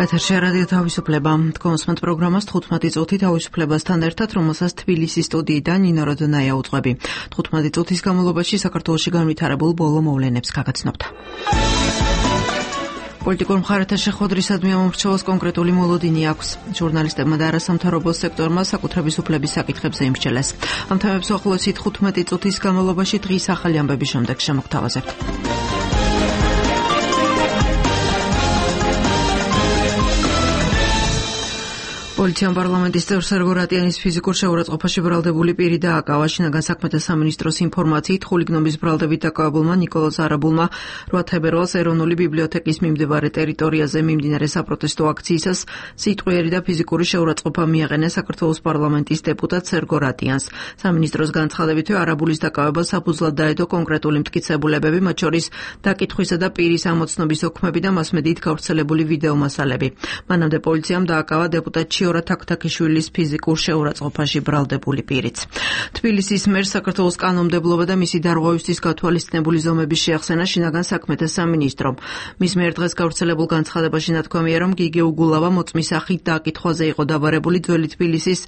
ეთერში რადიო თავისუფლება. კონსმენტ პროგრამას 15 წუთი თავისუფლებასთან ერთად, რომელსაც თბილისის სტუდიიდან ნინო როდონაია უძღვები. 15 წუთის განმავლობაში საქართველოში განვითარებულ ბოლო მოვლენებს გაგაცნობთ. პოლიტიკურ მხარეთა შეხვედრისადმი ამომრჩეველს კონკრეტული მოლოდინი აქვს. ჟურნალისტებმა და არასამთავრობო სექტორმა საკუთრების უფლების საკითხებზე იმსჯელეს. ამ თემებს უახლოესი 15 წუთის განმავლობაში დღის ახალი ამბების შემდეგ შემოგთავაზებთ. პოლიციამ პარლამენტის წევრ სერგო რატიანის ფიზიკურ შეურაცხყოფაში ბრალდებული პირი დააკავა. შინაგან საქმეთა სამინისტროს ინფორმაციით, ხულიგნობის ბრალდებით დაკავებულმა ნიკოლოზ არაბულმა 8 თებერვალს ეროვნული ბიბლიოთეკის მიმდებარე ტერიტორიაზე მიმდინარე საპროტესტო აქციისას სიტყვიერი და ფიზიკური შეურაცხყოფა მიაყენა საქართველოს პარლამენტის დეპუტატ სერგო რატიანს. სამინისტროს განცხადებითვე არაბულის დაკავება საფუძვლად დაედო კონკრეტული მტკიცებულებები, მათ შორის დაკითხვისა და პირის ამოცნობის ოქმები და მასმედიით გავრცელებული ვიდეო მასალები. მანამდე პოლიციამ დააკავა დეპუტატ თაქთაქიშვილის ფიზიკურ შეურაცხყოფაში ბრალდებული პირიც. თბილისის მერს საქართველოს კანონმდებლობა და მისი დარღვევისთვის გათვალისწინებული ზომების შეახსენა შინაგან საქმეთა სამინისტრომ. მის მიერ დღეს გავრცელებულ განცხადებაში ნათქვამია, რომ გიგე უგულავა მოწმის სახით დაკითხვაზე იყო დაბარებული ძველი თბილისის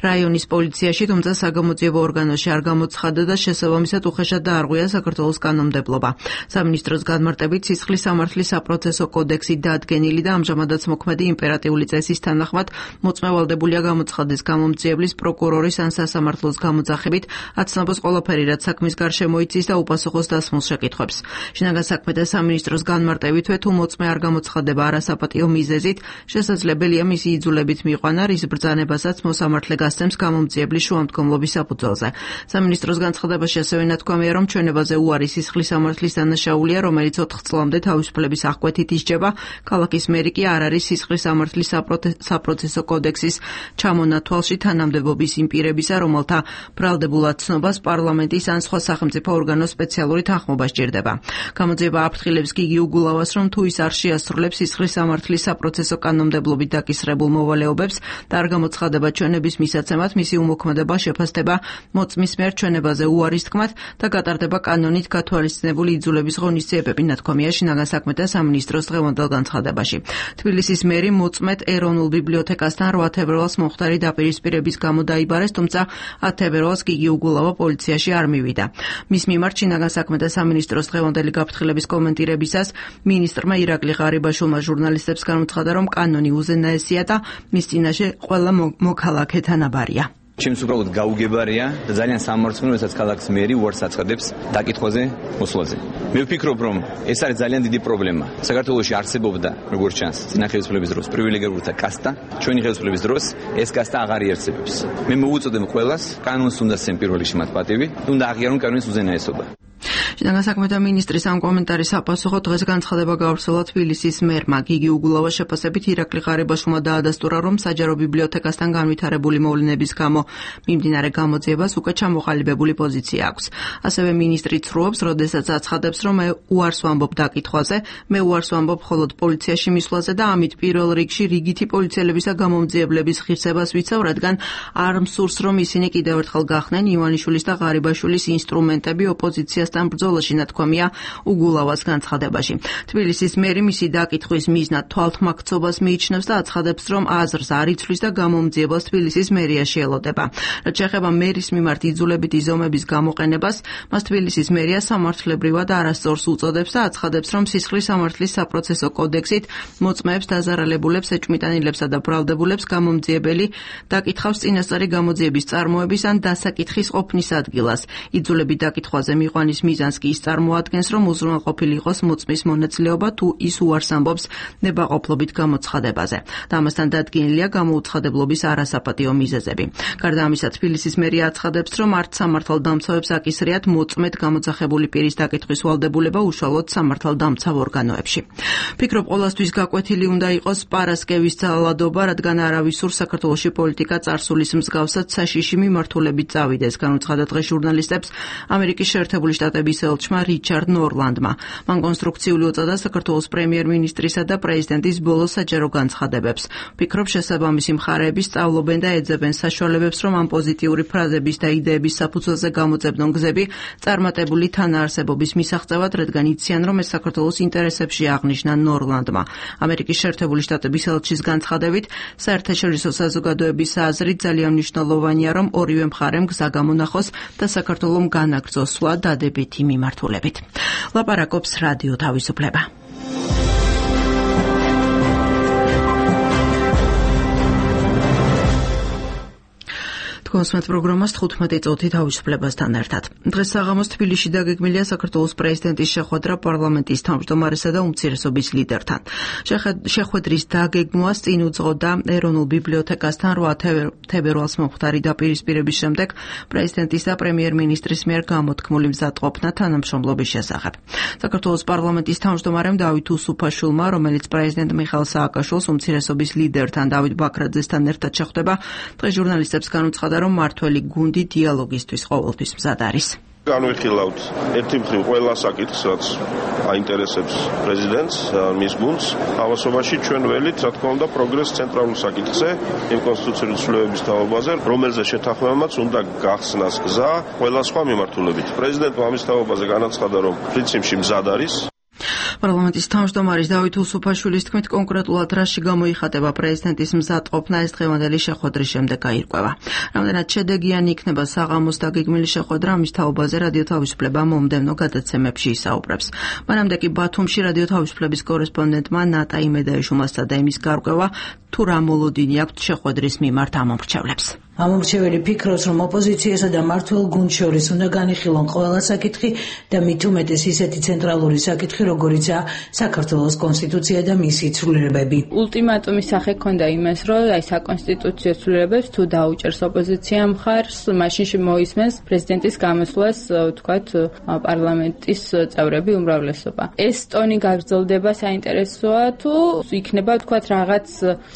რაიონის პოლიციაში, თუმცა საგამოძიებო ორგანოში არ გამოცხადა და შესაბამისად უხეშად დაარღვია საქართველოს კანონმდებლობა. სამინისტროს განმარტებით სისხლის სამართლის საპროცესო კოდექსით დაადგენილი და ამჟამადაც მოქმედი იმპერატიული წესის თანახმად მოწმევალდებულია გამოცხადეს გამომძიებლის, პროკურორის ან სასამართლოს გამოძახებით აცნობს ყველაფერი, რაც საქმის გარშემო იცის და უპასუხოს დასმულ შეკითხვებს. შინაგან საქმეთა სამინისტროს განმარტებითვე, თუ მოწმე არ გამოცხადება არასაპატიო მიზეზით, შესაძლებელია მისი იძულებით მიყვანა, რის ბრძანებასაც მოსამართლე გასცემს გამომძიებლის შუამდგომლობის საფუძველზე. სამინისტროს განცხადებაში ასევე ნათქვამია, რომ ჩვენებაზე უარი სისხლის სამართლის დანაშაულია, რომელიც 4 წლამდე თავისუფლების აღკვეთით ისჯება. ქალაქის მერი კი არ არის სისხლის სამართლის საპროცესო კოდექსის ჩამონათვალში თანამდებობის იმ პირებისა, რომელთა ბრალდებულად ცნობას პარლამენტის ან სხვა სახელმწიფო ორგანოს სპეციალური თანხმობა სჭირდება. გამოძიება აფრთხილებს გიგი უგულავას, რომ თუ ის არ შეასრულებს სისხლის სამართლის საპროცესო კანონმდებლობით დაკისრებულ მოვალეობებს და არ გამოცხადება ჩვენების მისაცემად, მისი უმოქმედება შეფასდება მოწმის მიერ ჩვენებაზე უარის თქმად და გატარდება კანონით გათვალისწინებული იძულების ღონისძიებები, ნათქვამია შინაგან საქმეთა სამინისტროს დღევანდელ განცხადებაში. თბილისის მერი მოწმედ ეროვნულ ბიბლიოთეკასთან 8 თებერვალს მომხდარი დაპირისპირების გამო დაიბარეს, თუმცა 10 თებერვალს გიგი უგულავა პოლიციაში არ მივიდა. მის მიმართ შინაგან საქმეთა სამინისტროს დღევანდელი გაფრთხილების კომენტირებისას მინისტრმა ირაკლი ღარიბაშვილმა ჟურნალისტებს განუცხადა, რომ კანონი უზენაესია და მის წინაშე ყველა მოქალაქე თანაბარია. ჩემს უბრალოდ გაუგებარია და ძალიან სამართლიანია, როდესაც ქალაქის მერი უარს აცხადებს დაკითხვაზე მოსვლაზე. მე ვფიქრობ, რომ ეს არის ძალიან დიდი პრობლემა. საქართველოში არსებობდა, როგორც ჩანს, წინა ხელისუფლების დროს პრივილეგირებულთა კასტა, ჩვენი ხელისუფლების დროს ეს კასტა აღარ იარსებებს. მე მოვუწოდებ ყველას, კანონს უნდა სცენ პირველ რიგში მათ პატივი, უნდა აღიარონ კანონის უზენაესობა. შინაგან საქმეთა მინისტრის ამ კომენტარის საპასუხოდ დღეს განცხადება გავრცელა თბილისის მერმა. გიგი უგულავას შეფასებით ირაკლი ღარიბაშვილმა დაადასტურა, რომ საჯარო ბიბლიოთეკასთან განვითარებული მოვლენების გამო მიმდინარე გამოძიებას უკვე ჩამოყალიბებული პოზიცია აქვს. ასევე მინისტრი ცრუობს, როდესაც აცხადებს, რომ მე უარს ვამბობ დაკითხვაზე, მე უარს ვამბობ მხოლოდ პოლიციაში მისვლაზე და ამით პირველ რიგში რიგითი პოლიციელებისა გამომძიებლების ღირსებას ვიცავ, რადგან არ მსურს, რომ ისინი კიდევ ერთხელ გახდნენ ივანიშვილის და ღარიბაშვილის ინსტრუმენტები ოპოზიციასთან ბრძოლაში, ნათქვამია უგულავას განცხადებაში. თბილისის მერი მისი დაკითხვის მიზნად თვალთმაქცობას მიიჩნევს და აცხადებს, რომ აზრს არ იცვლის და გამომძიებას თბილისის მერიაში ელოდება. რაც შეეხება მერის მიმართ იძულებითი ზომების გამოყენებას, მას თბილისის მერია სამართლებრივად არასწორს უწოდებს და აცხადებს, რომ სისხლის სამართლის საპროცესო კოდექსით მოწმეებს, დაზარალებულებს, ეჭვმიტანილებსა და ბრალდებულებს გამომძიებელი დაკითხავს წინასწარი გამოძიების წარმოების ან დასაკითხის ყოფნის ადგილას. იძულებით დაკითხვაზე მიყვანის მიზანს კი ის წარმოადგენს, რომ უზრუნველყოფილი იყოს მოწმის მონაწილეობა, თუ ის უარს ამბობს ნებაყოფლობით გამოცხადებაზე. და ამასთან დადგენილია გამოუცხადებლობის არასაპატიო მიზეზები. გარდა ამისა, თბილისის მერია აცხადებს, რომ არც სამართალდამცავებს აკისრიათ მოწმედ გამოძახებული პირის დაკითხვის ვალდებულება უშუალოდ სამართალდამცავ ორგანოებში. ფიქრობ, ყოველთვის გაკვეთილი უნდა იყოს პარასკევის ძალადობა, რადგან არავისურ საქართველოში პოლიტიკა წარსულის მსგავსად საშიში მიმართულებით წავიდეს. განუცხადა დღეს ჟურნალისტებს ამერიკის შეერთებული შტატების ხელმძღვანელმა რიჩარდ ნორლანდმა. მან კონსტრუქციული უწოდა საქართველოს პრემიერ-მინისტრისა და პრეზიდენტის ბოლო საჯარო განცხადებებს. ვფიქრობ, შესაბამისი მხარეები სწავლობენ და ეძებენ საშუალებებს, რომ ამ პოზიტიური ფრაზების და იდეების საფუძველზე გამოძებნონ გზები წარმატებული თანაარსებობის მისაღწევად, რადგან იციან, რომ ეს საქართველოს ინტერესებში აღნიშნა ნორლანდმა. ამერიკის შეერთებული შტატების ელჩის განცხადებით, საერთაშორისო საზოგადოების აზრით ძალიან მნიშვნელოვანია, რომ ორივე მხარემ გზა გამონახოს და საქართველომ განაგრძოს სვლა დადებითი მიმართულებით. ლაპარაკობს რადიო თავისუფლება. კონსმეთ პროგრამას 15 წუთი თავისუფლებასთან ერთად. დღეს საღამოს თბილისში დაგეგმილია საქართველოს პრეზიდენტის შეხვედრა პარლამენტის თავმჯდომარესა და უმცირესობის ლიდერთან. შეხვედრის დაგეგმვას წინ უძღოდა ეროვნულ ბიბლიოთეკასთან 8 თებერვალს მომხდარი დაპირისპირების შემდეგ პრეზიდენტის და პრემიერ-მინისტრის მიერ გამოთქმული მზადყოფნა თანამშრომლობის შესახებ. საქართველოს პარლამენტის თავმჯდომარემ დავით უსუფაშვილმა, რომელიც პრეზიდენტ მიხაილ სააკაშვილს უმცირესობის ლიდერთან დავით ბაქრაძესთან ერთად შეხვდება, დღეს ჟურნალისტებს განუცხადა, რომ მართველი გუნდი დიალოგისთვის ყოველთვის მზად არის. განვიხილავთ ერთი მხრივ ყველა საკითხს, რაც აინტერესებს პრეზიდენტს, მის გუნდს. ამასობაში ჩვენ ველით, რა თქმა უნდა, პროგრესს ცენტრალურ საკითხზე, იმ კონსტიტუციური ცვლილებების თაობაზე, რომელზე შეთანხმებამაც უნდა გახსნას გზა ყველა სხვა მიმართულებით. პრეზიდენტმა ამის თაობაზე განაცხადა, რომ პრინციპში მზად არის. პარლამენტის თავმჯდომარის დავით უსუფაშვილის თქმით, კონკრეტულად რაში გამოიხატება პრეზიდენტის მზადყოფნა, ეს დღევანდელი შეხვედრის შემდეგ გაირკვევა. რამდენად შედეგიანი იქნება საღამოს დაგეგმილი შეხვედრა, ამის თაობაზე რადიო თავისუფლება მომდევნო გადაცემებში ისაუბრებს. მანამდე კი ბათუმში რადიო თავისუფლების კორესპონდენტმა ნატა იმედაიშვილმა სცადა იმის გარკვევა, თუ რა მოლოდინი აქვთ შეხვედრის მიმართ ამომრჩევლებს. ამომრჩეველი ფიქრობს, რომ ოპოზიციასა და მმართველ გუნდს შორის უნდა განიხილონ ყველა საკითხი და მით უმეტეს ისეთი ცენტრალური საკითხი, როგორიცაა საქართველოს კონსტიტუცია და მისი ცვლილებები. ულტიმატუმის სახე ჰქონდა იმას, რომ აი საკონსტიტუციო ცვლილებებს თუ დაუჭერს ოპოზიცია მხარს, მაშინ მოისმენს პრეზიდენტის გამოსვლას, ვთქვათ, პარლამენტის წევრები უმრავლესობა. ეს ტონი გაგრძელდება, საინტერესოა თუ იქნება, ვთქვათ, რაღაც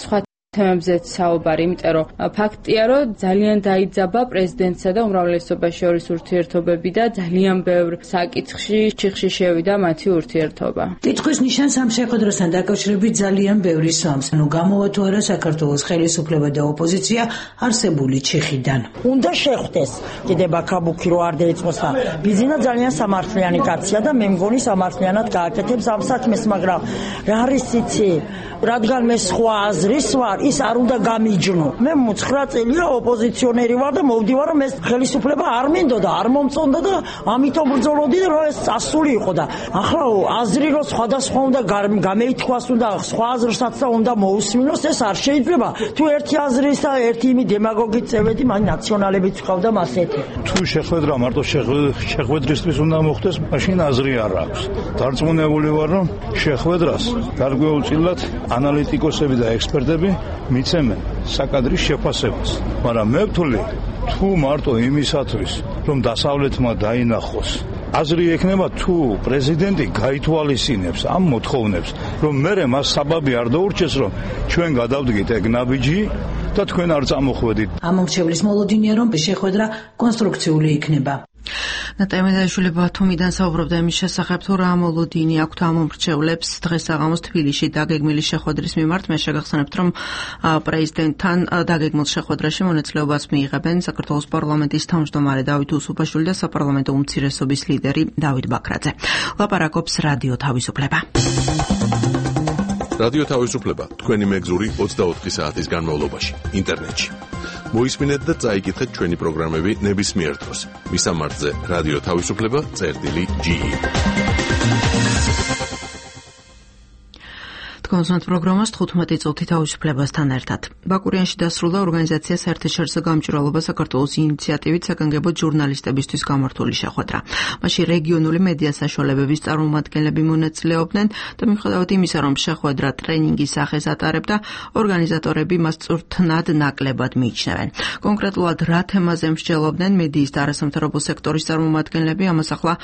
სხვა თემებზეც საუბარი, იმიტომ რომ ფაქტია, რომ ძალიან დაიძაბა პრეზიდენტსა და უმრავლესობას შორის ურთიერთობები და ძალიან ბევრ საკითხში ჩიხში შევიდა მათი ურთიერთობა. კითხვის ნიშანს ამ შეხვედრასთან დაკავშირებით ძალიან ბევრი სვამს. გამოვა თუ არა საქართველოს ხელისუფლება და ოპოზიცია არსებული ჩიხიდან. უნდა შეხვდეს. კიდე ბაქაბუქი რო არ დაიწყოს და ბიზინა ძალიან სამართლიანი კაცია და მე მგონი სამართლიანად გააკეთებს ამ საქმეს, მაგრამ რა არის იცი, რადგან მე სხვა აზრის ვარ, ის არ უნდა გამიჯნო. მე 9 წელია ოპოზიციონერი ვარ და მოვდივარ, რომ ეს ხელისუფლება არ მინდოდა, არ მომწონდა და ამიტომ ბრძოლოდი, რომ ეს წასული იყო და ახლა აზრი რომ სხვადასხვა უნდა გამეითქვას, უნდა სხვა აზრსაც და უნდა მოусმინოს, ეს არ შეიძლება. თუ ერთი აზრის და ერთი იმი დემაგოგით წევედი, მან ნაციონალებიც ყავდა მასეთი. თუ შეხვედრა მარტო შეხვედრისთვის უნდა მოხდეს, მაშინ აზრი არ აქვს. დარწმუნებული ვარ, რომ შეხვედრას გარკვეულწილად ანალიტიკოსები და ექსპერტები მიცემენ საკადრის შეფასებას. მაგრამ მე ვთვლი, თუ მარტო იმისათვის, რომ დასავლეთმა დაინახოს, აზრი ექნება თუ პრეზიდენტი გაითვალისწინებს ამ მოთხოვნებს, რომ მერე მას საბაბი არ დაურჩეს, რომ ჩვენ გადავდგით ეგ ნაბიჯი და თქვენ არ წამოხვედით. ამომრჩევლის მოლოდინია, რომ შეხვედრა კონსტრუქციული იქნება. ნატა იმედაიშვილი ბათუმიდან საუბრობდა იმის შესახებ, თუ რა მოლოდინი აქვთ ამომრჩევლებს დღეს საღამოს თბილისში დაგეგმილი შეხვედრის მიმართ. მე შეგახსენებთ, რომ პრეზიდენტთან დაგეგმილ შეხვედრაში მონაწილეობას მიიღებენ საქართველოს პარლამენტის თავმჯდომარე დავით უსუფაშვილი და საპარლამენტო უმცირესობის ლიდერი დავით ბაქრაძე. ლაპარაკობს რადიო თავისუფლება. რადიო თავისუფლება თქვენი მეგზური 24 საათის განმავლობაში ინტერნეტში. მოისმინეთ და წაიკითხეთ ჩვენი პროგრამები ნებისმიერ დროს. მისამართზე რადიო თავისუფლება.ge. კონსულტ პროგრამას 15 წუთი თავისუფლებასთან ერთად. ბაკურიანში დასრულდა ორგანიზაცია საერთაშორისო გამჭვირვალობა საქართველოს ინიციატივით საგანგებო ჟურნალისტებისთვის გამართული შეხვედრა. მაშინ რეგიონული მედია საშუალებების წარმომადგენლები მონაწილეობდნენ და მიუხედავად იმისა, რომ შეხვედრა ტრენინგის სახეს ატარებდა, ორგანიზატორები მას წვრთნად ნაკლებად მიიჩნევენ. კონკრეტულად რა თემაზე მსჯელობდნენ მედიის და არასამთავრობო სექტორის წარმომადგენლები, ამას ახლა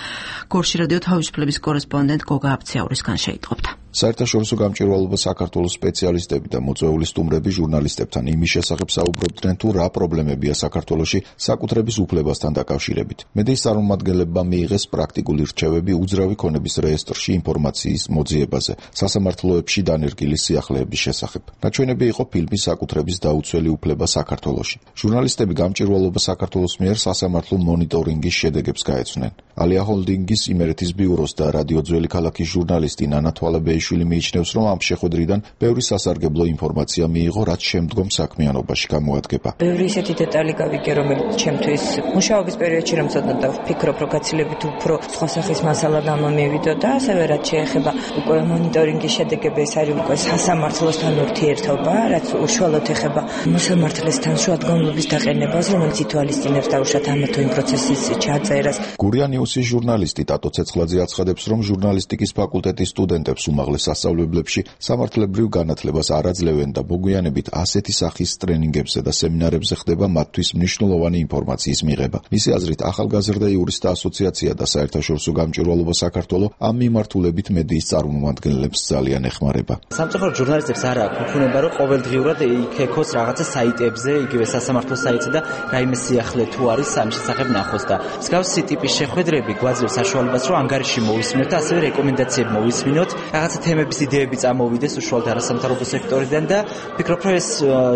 გორში რადიო თავისუფლების კორესპონდენტ გოგა აბციაურისგან შეიტყობთ. საერთაშორისო გამჭვირვალობა საქართველოს სპეციალისტები და მოწვეული სტუმრები ჟურნალისტებთან იმის შესახებ საუბრობდნენ, თუ რა პრობლემებია საქართველოში საკუთრების უფლებასთან დაკავშირებით. მედიის წარმომადგენლებმა მიიღეს პრაქტიკული რჩევები უძრავი ქონების რეესტრში ინფორმაციის მოძიებაზე, სასამართლოებში დანერგილი სიახლეების შესახებ. ნაჩვენები იყო ფილმის საკუთრების დაუცველი უფლება საქართველოში. ჟურნალისტები გამჭვირვალობა საქართველოს მიერ სასამართლო მონიტორინგის შედეგებს გაეცვნენ. ალია ჰოლდინგის იმერეთის ბიუროს და რადიო ძველი ქალაქის ჟურნალისტი ნანა თვალებეიშვილი მიიჩნევს, რომ ამ შეხვედრიდან ბევრი სასარგებლო ინფორმაცია მიიღო, რაც შემდგომ საქმიანობაში გამოადგება. ბევრი ისეთი დეტალი გავიგე, რომელიც ჩემთვის მუშაობის პერიოდში რომ ცოტა ვფიქრობ, რომ გაცილებით უფრო სხვა სახის მასალა გამომივიდო და ასევე რაც შეეხება უკვე მონიტორინგის შედეგები, ეს არის უკვე სასამართლოსთან ურთიერთობა, რაც უშუალოდ ეხება მოსამართლესთან შუადგომლობის დაყენებას, რომელიც ითვალისწინებს დაუშვათ ამა თუ იმ პროცესის ჩაწერას. გურია ნიუსის ჟურნალისტი ტატო ცეცხლაძე აცხადებს, რომ ჟურნალისტიკის ფაკულტეტის სტუდენტებს უმაღლეს სასწავლებლებში სამართლებრივ განათლებას არ აძლევენ და მოგვიანებით ასეთი სახის ტრენინგებზე და სემინარებზე ხდება მათთვის მნიშვნელოვანი ინფორმაციის მიღება. მისი აზრით, ახალგაზრდა იურისტთა ასოციაცია და საერთაშორისო გამჭვირვალობა საქართველოს ამ მიმართულებით მედიის წარმომადგენლებს ძალიან ეხმარება. სამწუხაროდ ჟურნალისტებს არ აქვს უფუნება, რომ ყოველდღიურად იქ-ექოს რაღაცა საიტებზე, იგივე სასამართლო საიტზე და რაიმე სიახლე თუ არის ამ შესახებ ნახოს და მსგავსი ტიპის შეხვედრები გვაძლევს საშუალებას, რომ ანგარიში მოვისმინოთ და ასევე რეკომენდაციები მოვისმინოთ, რაღაცა თემების იდეები წამოვიდეს უშუალოდ არასამთავრობო სექტორიდან და ვფიქრობ, რომ ეს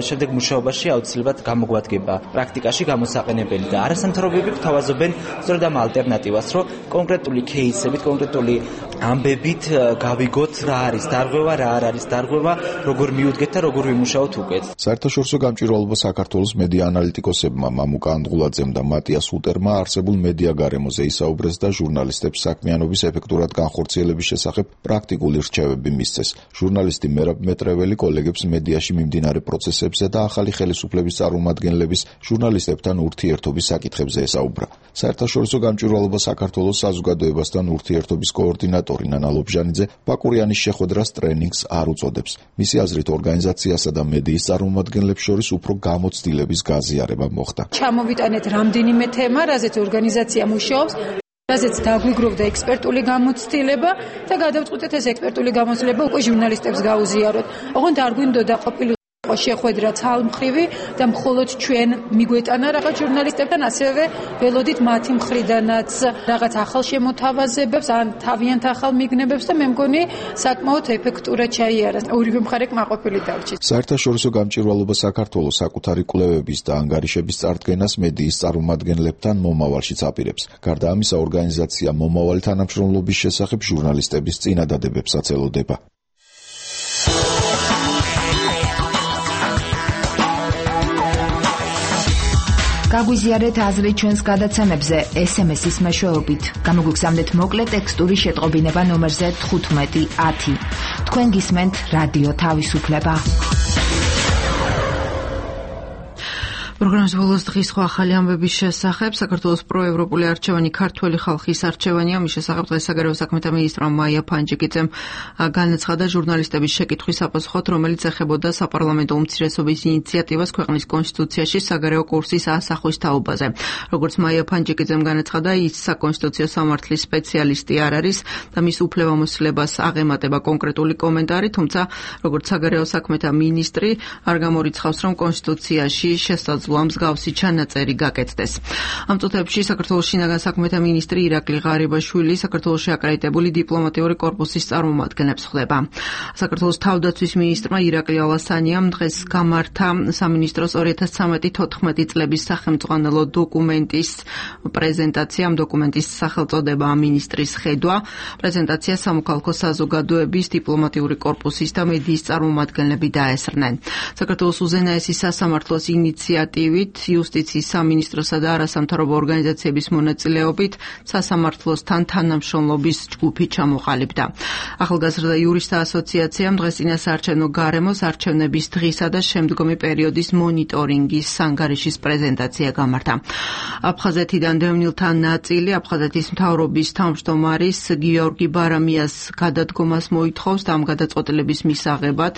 შემდეგ მუშაობაში აუცილებლად გამოგვადგება პრაქტიკაში გამოსაყენებელი და არასამთავრობოები გვთავაზობენ სწორედ ამ ალტერნატივას, რომ კონკრეტული кейსებით, კონკრეტული ამბებით გავიგოთ რა არის დარღვევა, რა არ არის დარღვევა, როგორ მიუდგეთ და როგორ ვიმუშაოთ უკეთ. საერთაშორისო გამჭვირვალობა საქართველოს მედია ანალიტიკოსებმა მამუკა ანდღულაძემ და მატიას უტერმა არსებულ მედია გარემოზე ისაუბრეს და ჟურნალისტებს საქმიანობის ეფექტურად განხორციელების შესახებ პრაქტიკული რჩევები მისცეს. ჟურნალისტი მერაბ მეტრეველი კოლეგებს მედიაში მიმდინარე პროცესებზე და ახალი ხელისუფლების წარმომადგენლების ჟურნალისტებთან ურთიერთობის საკითხებზე ესაუბრა. საერთაშორისო გამჭვირვალობა საქართველოს საზოგადოებასთან ურთიერთობის კოორდინატორი ნანა ლობჟანიძე ბაკურიანის შეხვედრას ტრენინგს არ უწოდებს. მისი აზრით, ორგანიზაციასა და მედიის წარმომადგენლებს შორის უფრო გამოცდილების გაზიარება მოხდა. ჩამოვიტანეთ რამდენიმე თემა, რაზეც ორგანიზაცია მუშაობს, რაზეც დაგვიგროვდა ექსპერტული გამოცდილება და გადავწყვიტეთ ეს ექსპერტული გამოცდილება უკვე ჟურნალისტებს გაუზიაროთ. ოღონდ არ გვინდოდა ყოფილი შეხვედრა ცალმხრივი და მხოლოდ ჩვენ მიგვეტანა რაღაც ჟურნალისტებთან, ასევე ველოდით მათი მხრიდანაც რაღაც ახალ შემოთავაზებებს ან თავიანთ ახალ მიგნებებს და მე მგონი საკმაოდ ეფექტურად ჩაიარა. ორივე მხარე კმაყოფილი დარჩით. საერთაშორისო გამჭვირვალობა საქართველოს საკუთარი კვლევების და ანგარიშების წარდგენას მედიის წარმომადგენლებთან მომავალშიც აპირებს. გარდა ამისა, ორგანიზაცია მომავალი თანამშრომლობის შესახებ ჟურნალისტების წინადადებებსაც ელოდება. გაგვიზიარეთ აზრი ჩვენს გადაცემებზე SMS-ის მეშვეობით. გამოგვიგზავნეთ მოკლე ტექსტური შეტყობინება ნომერზე 1510. თქვენ გისმენთ რადიო თავისუფლება. პროგრამის ბოლოს დღის სხვა ახალი ამბების შესახებ. საქართველოს პროევროპული არჩევანი ქართველი ხალხის არჩევანია. მის შესახებ დღეს საგარეო საქმეთა მინისტრმა მაია ფანჯიკიძემ განაცხადა ჟურნალისტების შეკითხვის საპასუხოდ, რომელიც ეხებოდა საპარლამენტო უმცირესობის ინიციატივას ქვეყნის კონსტიტუციაში საგარეო კურსის ასახვის თაობაზე. როგორც მაია ფანჯიკიძემ განაცხადა, ის საკონსტიტუციო სამართლის სპეციალისტი არ არის და მის უფლებამოსილებას აღემატება კონკრეტული კომენტარი, თუმცა როგორც საგარეო საქმეთა მინისტრი არ გამორიცხავს, რომ კონსტიტუციაში შესაძლოა მსგავსი ჩანაწერი გაკეთდეს. ამ წუთებში საქართველოს შინაგან საქმეთა მინისტრი ირაკლი ღარიბაშვილი საქართველოში აკრედიტებული დიპლომატიური კორპუსის წარმომადგენლებს ხვდება. საქართველოს თავდაცვის მინისტრმა ირაკლი ალასანიამ დღეს გამართა სამინისტროს 2013-14 წლების სახელმწიფო დოკუმენტის პრეზენტაცია. ამ დოკუმენტის სახელწოდება მინისტრის ხედვა. პრეზენტაცია სამოქალაქო საზოგადოების, დიპლომატიური კორპუსის და მედიის წარმომადგენლები დაესწრნენ. საქართველოს უზენაესი სასამართლოს ინიციატივით იუსტიციის სამინისტროსა და არასამთავრობო ორგანიზაციების მონაწილეობით სასამართლოსთან თანამშრომლობის ჯგუფი ჩამოყალიბდა. ახალგაზრდა იურისტთა ასოციაციამ დღეს წინასაარჩევნო გარემოს არჩევნების დღისა და შემდგომი პერიოდის მონიტორინგის ანგარიშის პრეზენტაცია გამართა. აფხაზეთიდან დევნილთა ნაწილი აფხაზეთის მთავრობის თავმჯდომარის გიორგი ბარამიას გადადგომას მოითხოვს და ამ გადაწყვეტილების მისაღებად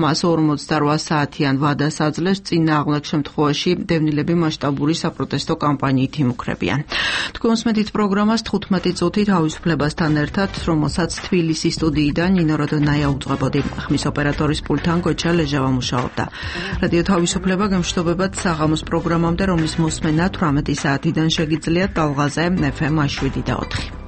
მას 48 საათიან ვადას აძლევს. წინააღმდეგ შემთხვევაში დევნილები მასშტაბური საპროტესტო კამპანიით იმუქრებიან. თქვენ უსმენთ პროგრამას 15 წუთი თავისუფლებასთან ერთად, რომელსაც თბილისის სტუდიიდან ნინო როდონაია უძღვებოდი. ხმის ოპერატორის პულტთან გოჩა ლეჟავა მუშაობდა. რადიო თავისუფლება გემშვიდობებათ საღამოს პროგრამამდე, რომლის მოსმენა 18 საათიდან შეგიძლიათ ტალღაზე FM 7 და 4.